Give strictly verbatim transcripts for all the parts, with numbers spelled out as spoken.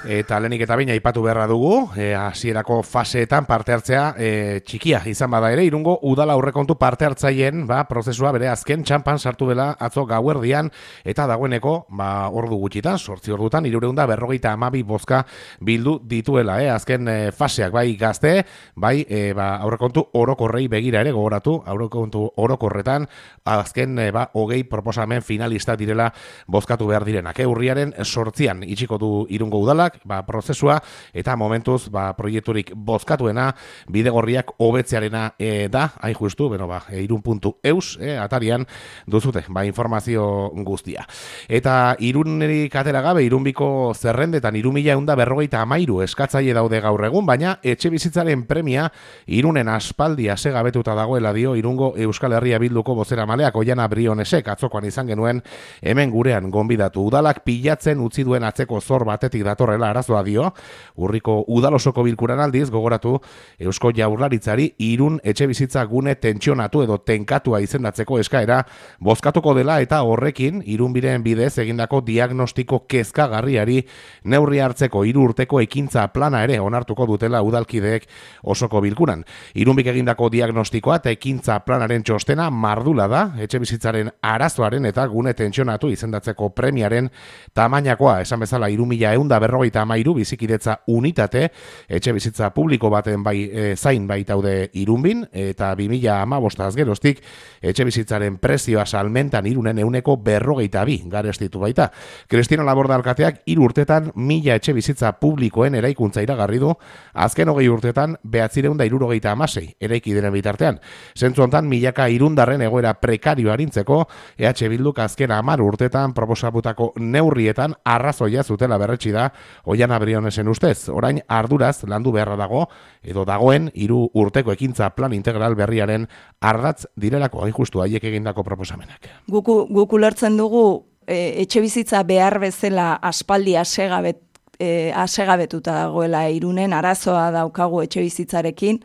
Eta lehenik eta baina aipatu beharra dugu, e, hasierako faseetan parte hartzea e, txikia izan bada ere, Irungo udala aurrekontu parte hartzaien ba, prozesua bere azken txampan sartu dela atzo gauerdian, eta dagoeneko ba, ordu gutxitan, sortzi ordutan, hirureunda berrogeita hamabi bozka bildu dituela, eh? azken e, faseak, bai gazte, bai e, ba, aurrekontu orokorrei begira ere gogoratu, aurrekontu orokorretan, azken e, ba, hogei proposamen finalista direla bozkatu behar direnak. Eh? Urriaren sortzian itxiko du Irungo udalak, ba, prozesua, eta momentuz ba, proiekturik bozkatuena bidegorriak hobetzearena e, da, hain justu, beno, ba, irun puntu eus, e, atarian duzute, ba, informazio guztia. Eta Irunerik atera gabe, Irunbiko zerrendetan irumila eunda berrogeita amairu eskatzaile daude gaur egun, baina etxe bizitzaren premia Irunen aspaldi asegabetuta dagoela dio Irungo Euskal Herria Bilduko bozera maleak Oiana Brionesek atzokoan izan genuen hemen gurean gonbidatu. Udalak pilatzen utzi duen atzeko zor batetik datorrela arazoa dio, urriko udalosoko bilkuran aldiz gogoratu Eusko Jaurlaritzari Irun etxe bizitza gune tentsionatu edo tenkatua izendatzeko eskaera bozkatuko dela eta horrekin Irunbiren bidez egindako diagnostiko kezkagarriari neurri hartzeko hiru urteko ekintza plana ere onartuko dutela udalkideek osoko bilkuran. Irunbik egindako diagnostikoa eta ekintza planaren txostena mardula da etxe bizitzaren arazoaren eta gune tentsionatu izendatzeko premiaren tamainakoa, esan bezala hiru mila ehun eta berrogeita hamairu bizikidetza unitate etxe bizitza publiko baten bai e, zain baitaude Irunbin, eta bi mila hamabostaz geroztik etxe bizitzaren prezioa salmentan Irunen ehuneko berrogeita bi garestitu baita. Kristino Laborda alkateak hiru urtetan mila etxe bizitza publikoen eraikuntza iragarri du, azken hogei urtetan behatzireun eta hirurogeita hamasei eraiki diren bitartean. Zentzu hontan milaka irundarren egoera prekario arintzeko E H Bilduk azken hamar urtetan proposatutako neurrietan arrazoia zutela berretsi da Oiana Brionesen ustez. Orain arduraz landu beharra dago edo dagoen hiru urteko ekintza plan integral berriaren ardatz direlako hain justu haiek egindako proposamenak. Guk guk ulertzen dugu e, etxe bizitza behar bezala aspaldi asegabet e, asegabetuta dagoela Irunen, arazoa daukagu etxe bizitzarekin.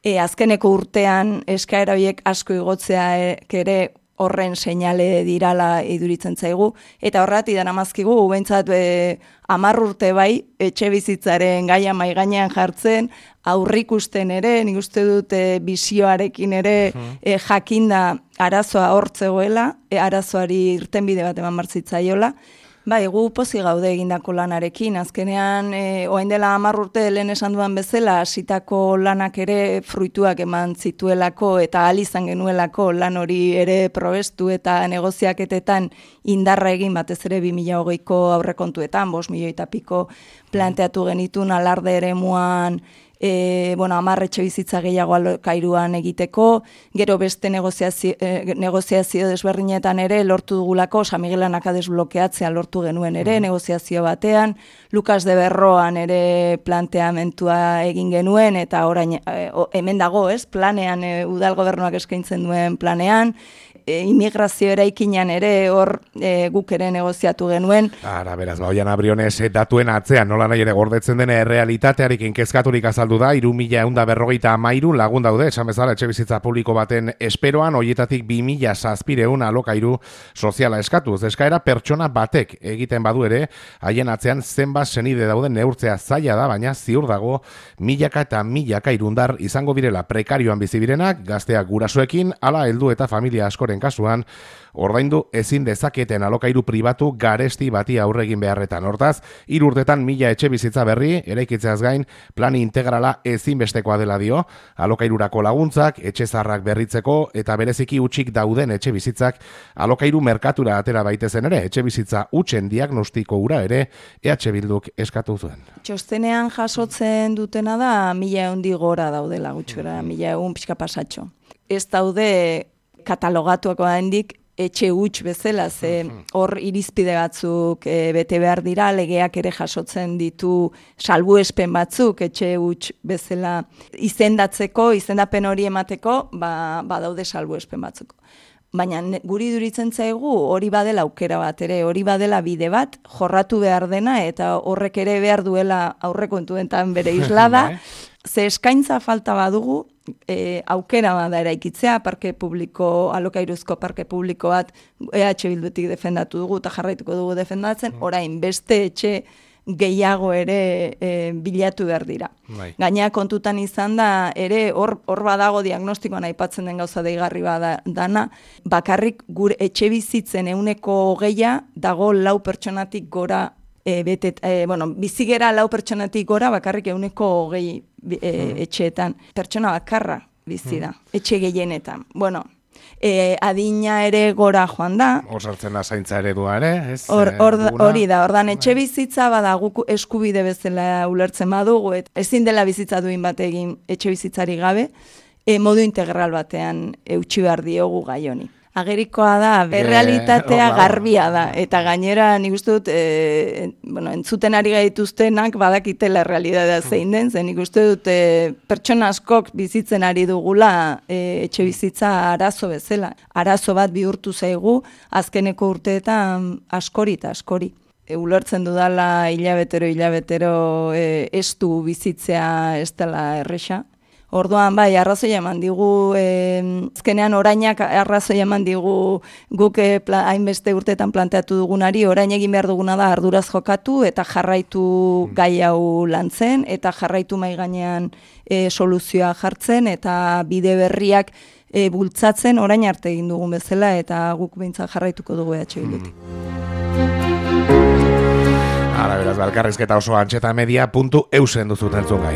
E, azkeneko urtean eskaera horiek asko igotzea ere horren seinale dirala iduritzen zaigu, eta horrati daramazkigu, behintzat e, hamar urte bai, etxe bizitzaren gaia mai gainean jartzen, aurrikusten ere, nik uste dut e, bizioarekin ere e, jakinda arazoa hortzegoela, e, arazoari irtenbide bat eman martzitzaiola. Bai, gu pozi gaude egindako lanarekin, azkenean e, orain dela hamar urte lehen esan duan bezala, hasitako lanak ere fruituak eman zituelako eta ahal izan genuelako lan hori ere probestu eta negoziaketetan indarra egin batez ere bi mila hogeiko aurrekontuetan, bost milioi eta piko planteatu genitun alarde eremuan, E, bueno, hamar etxe bizitza gehiago alokairuan egiteko, gero beste negoziazio, e, negoziazio desberdinetan ere lortu dugulako, San Miguelanaka desblokeatzea lortu genuen ere, mm. negoziazio batean, Lukas de Berroan ere planteamentua egin genuen, eta orain e, o, hemen dago, ez, planean, e, udal gobernuak eskaintzen duen planean, e, immigrazio eraikinean ere hor e, guk ere negoziatu genuen. Ara, beraz, ba, Oiana Briones datuen atzean, nola nahi ere gordetzen dene errealitatearekin kezkaturik azaldu da, hiru mila ehun eta berrogeita hamairu lagun daude, esan bezala etxe bizitza publiko baten esperoan, horietatik bi mila zazpireun alokairu soziala eskatuz. Eskaera pertsona batek egiten badu ere, haien atzean zenbat senide dauden neurtzea zaila da, baina ziur dago milaka eta milaka irundar izango direla prekarioan bizibirenak, gazteak gurasoekin, ala heldu eta familia askoren kasuan, ordaindu ezin dezaketen alokairu pribatu garesti bati aurre egin beharretan. Hortaz, hiru urtetan mila etxe bizitza berri, eraikitzeaz gain, plan integrala ezinbestekoa dela dio, alokairurako laguntzak, etxe zaharrak berritzeko eta bereziki hutsik dauden etxe bizitzak alokairu merkatura atera baitezen ere, etxe bizitza hutsen diagnostiko ura ere, E H Bilduk eskatu zuen. Txostenean jasotzen dutena da, mila eundi gora daudela gutxura, mila egun pixka pasatxo. Ez daude katalogatuako handik, etxe huts bezala, ze hor irizpide batzuk e, bete behar dira, legeak ere jasotzen ditu salbuespen batzuk etxe huts bezala izendatzeko, izendapen hori emateko, ba, ba daude salbuespen batzuk. Baina guri duritzen zaigu hori badela aukera bat ere, hori badela bide bat, jorratu behar dena, eta horrek ere behar duela aurrekontuetan bere islada, ze eskaintza falta badugu, E, aukera bada eraikitzea, parke publiko, alokairuzko parke publiko bat E H Bildutik defendatu dugu eta jarraituko dugu defendatzen, orain beste etxe gehiago ere e, bilatu behar dira. Bai. Gaina kontutan izan da, ere hor, hor badago diagnostikoan aipatzen den gauza deigarri bada dana, bakarrik gure etxe bizitzen euneko hogeia dago lau pertsonatik gora, e, betet, e, bueno, bizigera lau pertsonatik gora bakarrik euneko hogei e, hmm. etxeetan. Pertsona bakarra bizi da, hmm. etxe gehienetan. Bueno, E, adina ere gora joan da. Hor sartzen da zaintza eredua ere, ez? Hor, or, hori da, ordan etxe bizitza bada guk eskubide bezala ulertzen badugu, et ezin dela bizitza duin bat egin etxe bizitzari gabe, e, modu integral batean eutsi behar diogu gai honi. Agerikoa da, errealitatea garbia da, eta gainera nik uste dut, e, bueno, entzuten ari gaituztenak badakitela errealitatea zein den, zen nik uste dut e, pertsona askok bizitzen ari dugula e, etxe bizitza arazo bezala. Arazo bat bihurtu zaigu, azkeneko urteetan askori eta askori. E, ulertzen dudala hilabetero, hilabetero e, estu bizitzea ez dela erresa. Orduan, bai, arrazoi eman digu, eh, azkenean orainak arrazoi eman digu guk eh, hainbeste urteetan planteatu dugunari, orain egin behar duguna da arduraz jokatu eta jarraitu gai hau lantzen, eta jarraitu mai gainean eh, soluzioa jartzen, eta bide berriak eh, bultzatzen orain arte egin dugun bezala, eta guk behintzat jarraituko dugu E H Bildutik. Ara, beraz, balkarrizketa oso antxetamedia puntu eusen duzuten entzun gai.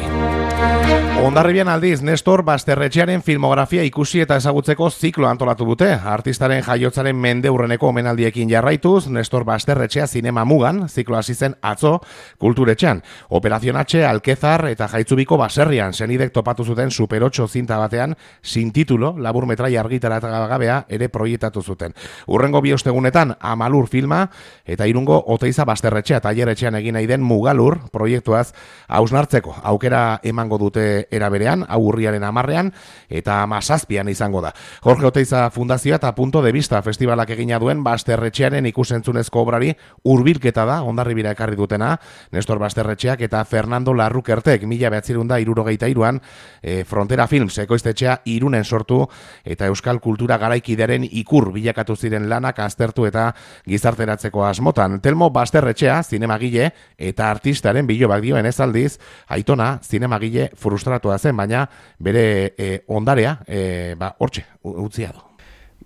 Hondarribian aldiz, Nestor Basterretxearen filmografia ikusi eta ezagutzeko ziklo antolatu dute. Artistaren jaiotzaren mendeurreneko omenaldiekin jarraituz, Nestor Basterretxea zinema mugan, ziklo hasi zen atzo kulturetxean. Operazion H, Alkezar eta Jaitzubiko baserrian, senidek topatu zuten Super ocho zinta batean, sin titulo, labur metrai argitaratza gabea ere proiektatu zuten. Urrengo bi ostegunetan, Amalur filma eta Irungo Oteiza Basterretxea tailerretxean egin nahi den Mugalur proiektuaz hausnartzeko. Aukera emango dute era berean, hau urriaren hamarrean eta hamazazpian izango da. Jorge Oteiza Fundazioa eta Punto de Vista festivalak egina duen Basterretxearen ikusentzunezko obrari hurbilketa da, Hondarribira ekarri dutena, Nestor Basterretxeak eta Fernando Larrukertek mila bederatzirehun eta hirurogeita hiruan e, Frontera Films ekoiztetxea Irunen sortu eta euskal kultura garaikidearen ikur bilakatu ziren lanak aztertu eta gizarteratzeko asmotan. Telmo Basterretxea, zinemagile eta artistaren bilobak dioen ez aldiz, Aitona, zinemagile frustratua zen, baina bere e, ondarea, e, ba, hortxe, utzia du.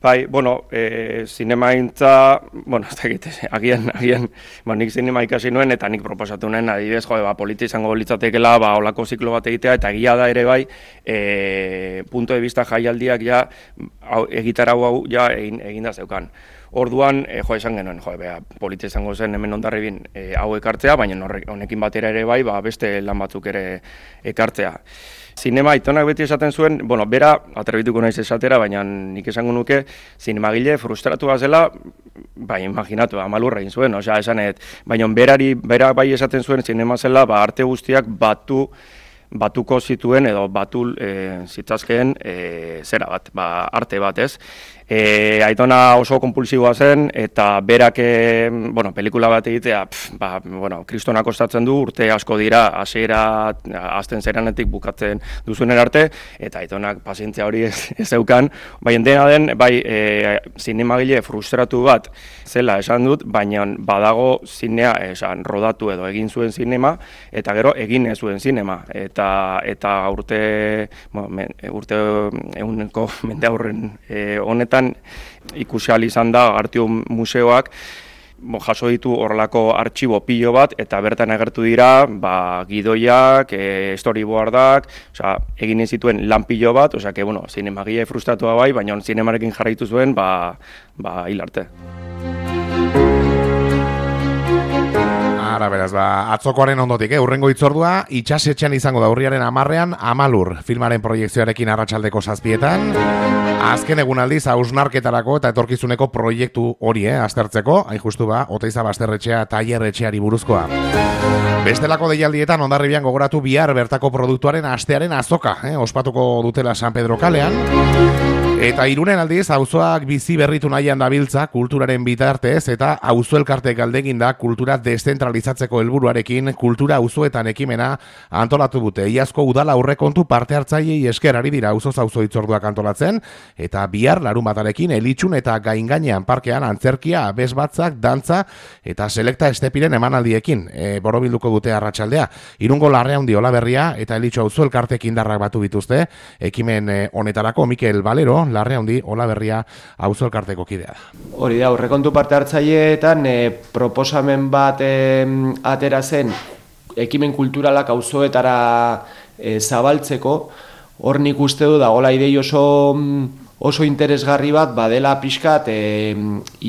Bai, bueno, e, zinemaintza, bueno, ez dakit, agian, agian, ba, nik zinema ikasi nuen, eta nik proposatu nuen, adibidez, jo, ba, polita izango litzatekela, ba, olako ziklo bat egitea, eta egia da ere bai, e, punto de vista jaialdiak ja, hau, egitarau hau ja egin, egin da zeukan. Orduan, e, jo, esan genuen, jo, bea, polita izango zen hemen Hondarribin e, hau ekartzea, baina honekin batera ere bai, ba, beste lan batzuk ere ekartzea. Zinema, Aitonak beti esaten zuen, bueno, bera, atrebituko naiz esatera, baina nik esango nuke, zinemagile frustratua zela, bai, imaginatu, Amalurra egin zuen, osea, esanet, baina berari, bera bai esaten zuen, zinema zela, ba, arte guztiak batu, batuko zituen edo batu e, zitzazkeen e, zera bat, ba, arte bat, ez? E, Aitona oso konpulsiboa zen, eta berak, e, bueno, pelikula bat egitea, pf, ba, bueno, kristona kostatzen du, urte asko dira, hasiera azten zeranetik bukatzen duzunen arte, eta Aitonak pazientzia hori ez, ez zeukan, baina dena den, bai, e, zinemagile frustratu bat zela esan dut, baina badago zinea esan rodatu edo egin zuen zinema, eta gero egin ez zuen zinema, eta eta urte, bueno, men, urte eguneko mende aurren e, honetan ikusi ahal izan da Artium museoak jaso ditu horrelako artxibo pilo bat, eta bertan agertu dira ba, gidoiak, e, storyboardak, osea, egin zituen lan pilo bat, osea, que, bueno, zinemagile frustratua bai, baina zinemarekin jarraitu zuen, ba, ba, hil arte. Ara, beraz, ba, atzokoaren ondotik, eh? Urrengo hitzordua, itxasetxean izango da urriaren hamarrean, Amalur, filmaren proiekzioarekin arratsaldeko zazpietan. Azken egun aldiz, hausnarketarako eta etorkizuneko proiektu hori, eh, aztertzeko, hain justu ba, Oteiza Basterretxea tailerretxeari buruzkoa. Bestelako deialdietan, Hondarribian gogoratu bihar bertako produktuaren astearen azoka, eh, ospatuko dutela San Pedro kalean. Eta Irunen aldiz, auzoak bizi berritu nahian dabiltza kulturaren bitartez eta auzo elkarte galdegin da kultura deszentralizatzeko helburuarekin kultura auzoetan ekimena antolatu dute. Iazko udala aurrekontu parte hartzaileei esker ari dira auzoz auzo hitzorduak antolatzen eta bihar larunbatarekin elitxun eta gaingainean parkean antzerkia, abesbatzak, dantza eta selekta estepiren emanaldiekin e, borobilduko dute arratsaldea. Irungo Larreaundi Olaberria eta elitxu auzo elkartek indarrak batu dituzte ekimen e, honetarako Mikel Valero Larreaundi Olaberria auzo elkarteko kidea da. Hori da, aurrekontu parte hartzaileetan e, proposamen bat e, atera zen ekimen kulturalak auzoetara e, zabaltzeko. Hor nik uste du da, hola idei oso, oso interesgarri bat badela pixkat e,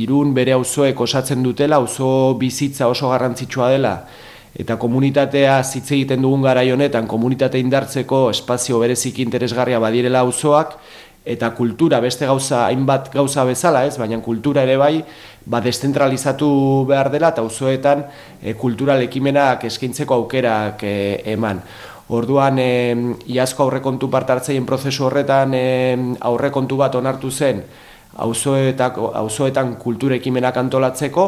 Irun bere auzoek osatzen dutela, auzo bizitza oso garrantzitsua dela. Eta komunitatea hitz egiten dugun garai honetan, komunitate indartzeko espazio berezik interesgarria badirela auzoak, eta kultura beste gauza, hainbat gauza bezala, ez, baina kultura ere bai, ba deszentralizatu behar dela eta auzoetan e, kultural ekimenak eskaintzeko aukerak e, eman. Orduan, e, iazko aurrekontu parte hartzaien prozesu horretan e, aurrekontu bat onartu zen auzoetan kultura ekimenak antolatzeko,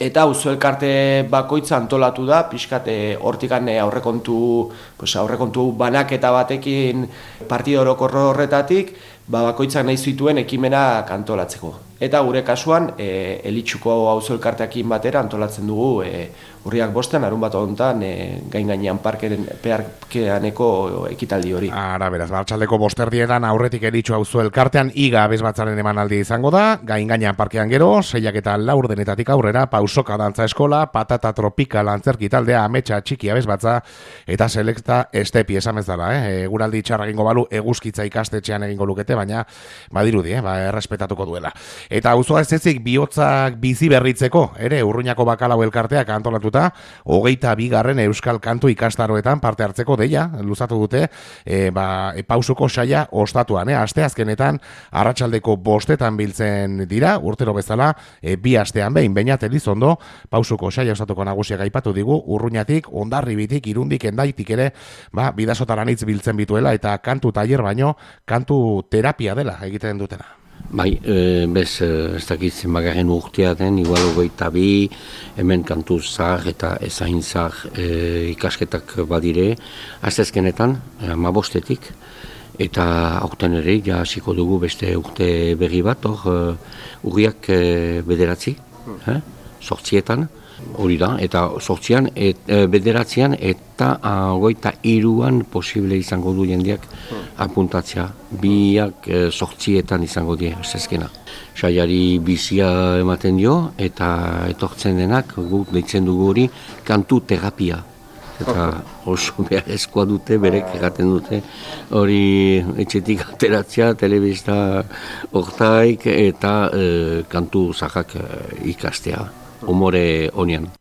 eta auzo elkarte bakoitza antolatu da, pixkat hortikan aurrekontu, pues, aurrekontu banaketa batekin partida orokor horretatik, ba, bakoitzak nahi zituen ekimenak antolatzeko. Eta gure kasuan, e, elitxuko auzo elkarteakin batera antolatzen dugu e, urriak bostean, arun bat honetan, e, gain gainean parkeren, parkeaneko ekitaldi hori. Ara, beraz, bartxaldeko bosterdietan aurretik elitxu auzo elkartean iga abesbatzaren emanaldi izango da, gain gainean parkean gero, seiak eta laurdenetatik aurrera, pausoka dantza eskola, patata tropikal antzerki taldea, ametsa txiki abesbatza, eta selekta estepi esamez dela, eh? Guraldi txarra egingo balu eguzkitza ikastetxean egingo lukete, baina badirudi, eh? Ba, errespetatuko duela. Eta auzoa ez ezik bihotzak bizi berritzeko, ere Urruñako bakalau elkarteak antolatuta, hogeita bigarren euskal kantu ikastaroetan parte hartzeko deia, luzatu dute, e, ba, e, pausuko saia ostatuan, eh? Aste azkenetan, arratsaldeko bostetan biltzen dira, urtero bezala, e, bi astean behin, Beñat Elizondo, pausuko saia ostatuko nagusiak aipatu digu, Urruñatik, Hondarribitik, Irundik, Hendaitik ere, ba, bidasotaranitz biltzen bituela, eta kantu tailer baino, kantu terapia dela egiten dutena. Bai, e, bez, ez dakit zenbagarren urtea den, igual hogeita bi, hemen kantu zahar eta ezain zahar e, ikasketak badire, aztezkenetan, amabostetik, eta aurten ere, ja hasiko dugu beste urte berri bat, hor, urriak e, bederatzi, eh? sortzietan, hori da, eta sortzian, et, e, bederatzean, eta hogeita hiruan posible izango du jendeak apuntatzea. Biak e, sortzietan izango die, zezkena. Saiari bizia ematen dio, eta etortzen denak, guk deitzen dugu hori, kantu terapia. Eta oso beharrezkoa dute, berek erraten dute, hori etxetik ateratzea, telebista hortaik, eta e, kantu zahak e, ikastea. Humore honian.